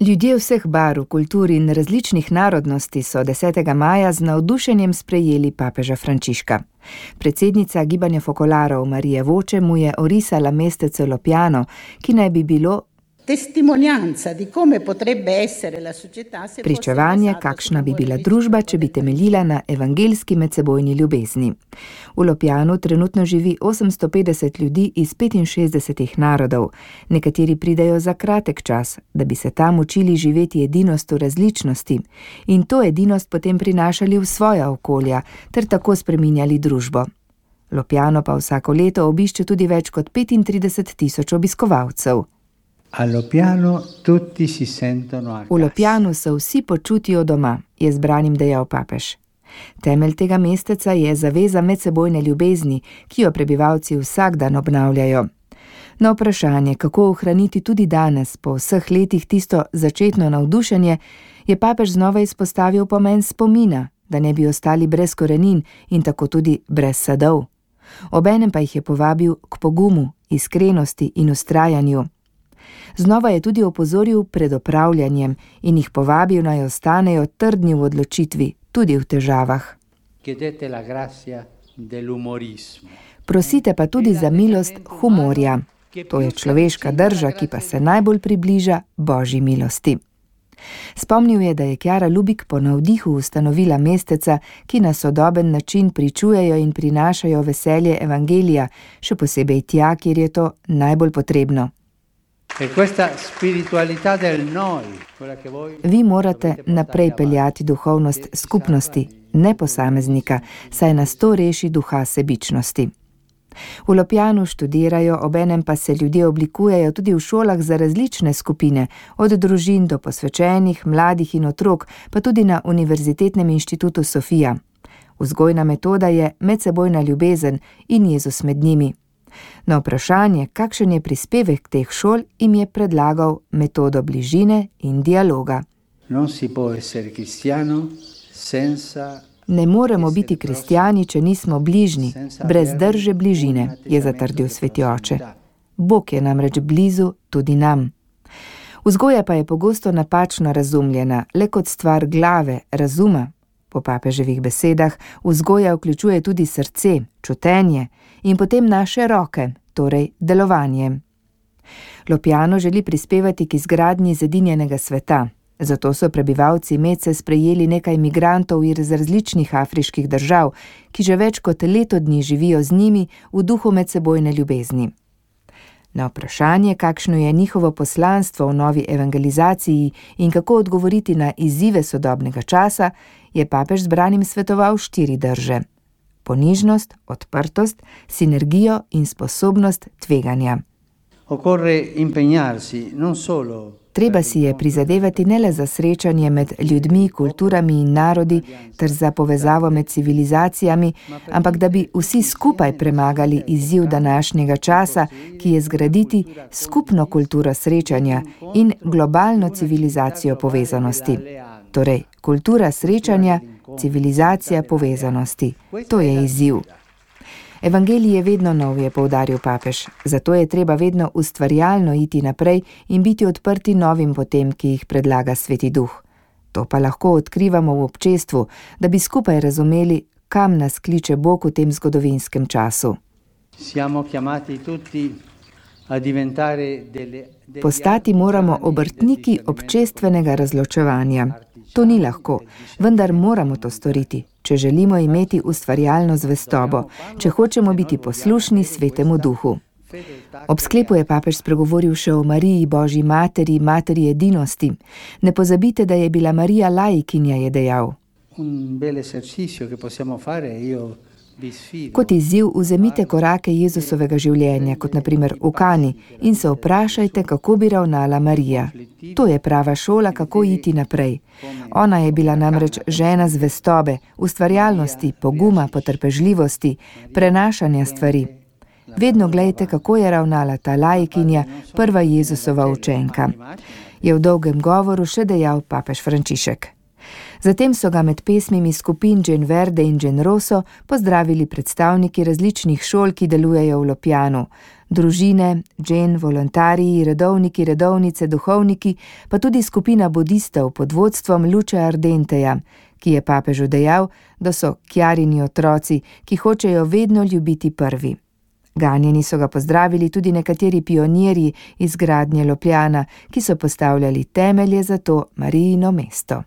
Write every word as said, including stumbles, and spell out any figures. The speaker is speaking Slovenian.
Ljudje vseh barv, kultur in različnih narodnosti so desetega maja z navdušenjem sprejeli papeža Frančiška. Predsednica gibanja fokolarov Marija Voče mu je orisala mestece Lopiano, ki naj bi bilo pričevanje, kakšna bi bila družba, če bi temeljila na evangeljski medsebojni ljubezni. V Lopianu trenutno živi osemsto petdeset ljudi iz petinšestdesetih narodov. Nekateri pridejo za kratek čas, da bi se tam učili živeti edinost v različnosti in to edinost potem prinašali v svoja okolja ter tako spreminjali družbo. Lopiano pa vsako leto obišče tudi več kot petintrideset tisoč obiskovalcev. V Lopianu se vsi počutijo doma, je zbranim dejal papež. Temelj tega mesteca je zaveza medsebojne ljubezni, ki jo prebivalci vsak dan obnavljajo. Na vprašanje, kako ohraniti tudi danes, po vseh letih tisto začetno navdušenje, je papež znova izpostavil pomen spomina, da ne bi ostali brez korenin in tako tudi brez sadov. Obenem pa jih je povabil k pogumu, iskrenosti in vztrajanju. Znova je tudi opozoril pred opravljanjem in jih povabil, naj ostanejo trdni v odločitvi, tudi v težavah. Prosite pa tudi za milost humorja. To je človeška drža, ki pa se najbolj približa Božji milosti. Spomnil je, da je Chiara Lubich po navdihu ustanovila mesteca, ki na sodoben način pričujejo in prinašajo veselje evangelija, še posebej tja, kjer je to najbolj potrebno. Vi morate naprej peljati duhovnost skupnosti, ne posameznika, saj nas to reši duha sebičnosti. V Lopianu študirajo, obenem pa se ljudje oblikujejo tudi v šolah za različne skupine, od družin do posvečenih, mladih in otrok, pa tudi na Univerzitetnem inštitutu Sofia. Vzgojna metoda je medsebojna ljubezen in Jezus med njimi. Na vprašanje, kakšen je prispevek teh šol, jim je predlagal metodo bližine in dialoga. Ne moremo biti kristjani, če nismo bližni, brez drže bližine, je zatrdil sveti oče. Bog je namreč blizu tudi nam. Vzgoja pa je pogosto napačno razumljena, le kot stvar glave, razuma. Po papeževih besedah vzgoja vključuje tudi srce, čutenje in potem naše roke, torej delovanje. Lopiano želi prispevati k izgradnji zedinjenega sveta. Zato so prebivalci Mece sprejeli nekaj migrantov iz različnih afriških držav, ki že več kot leto dni živijo z njimi v duhu medsebojne ljubezni. Na vprašanje, kakšno je njihovo poslanstvo v novi evangelizaciji in kako odgovoriti na izzive sodobnega časa, je papež zbranim svetoval štiri drže: ponižnost, odprtost, sinergijo in sposobnost tveganja. Treba si je prizadevati ne le za srečanje med ljudmi, kulturami in narodi ter za povezavo med civilizacijami, ampak da bi vsi skupaj premagali izziv današnjega časa, ki je zgraditi skupno kulturo srečanja in globalno civilizacijo povezanosti. Torej, kultura srečanja, civilizacija povezanosti. To je izziv. Evangelij je vedno nov, je poudaril papež, zato je treba vedno ustvarjalno iti naprej in biti odprti novim potem, ki jih predlaga Sveti Duh. To pa lahko odkrivamo v občestvu, da bi skupaj razumeli, kam nas kliče Bog v tem zgodovinskem času. Postati moramo obrtniki občestvenega razločevanja. To ni lahko, vendar moramo to storiti, če želimo imeti ustvarjalno zvestobo, če hočemo biti poslušni Svetemu Duhu. Ob sklepu je papež spregovoril še o Mariji, Božji materi, materi edinosti. Ne pozabite, da je bila Marija laikinja, je dejal. Kot izziv vzemite korake Jezusovega življenja, kot na primer v Kani, in se vprašajte, kako bi ravnala Marija. To je prava šola, kako iti naprej. Ona je bila namreč žena zvestobe, ustvarjalnosti, poguma, potrpežljivosti, prenašanja stvari. Vedno glejte, kako je ravnala ta laikinja, prva Jezusova učenka. Je v dolgem govoru še dejal papež Frančišek. Zatem so ga med pesmimi skupin Gen Verde in Gen Rosso pozdravili predstavniki različnih šol, ki delujejo v Lopjanu. Družine, Gen, volontariji, redovniki, redovnice, duhovniki, pa tudi skupina budistov pod vodstvom Luče Ardenteja, ki je papežu dejal, da so Kjarini otroci, ki hočejo vedno ljubiti prvi. Ganjeni so ga pozdravili tudi nekateri pionirji iz gradnje Lopjana, ki so postavljali temelje za to Marijino mesto.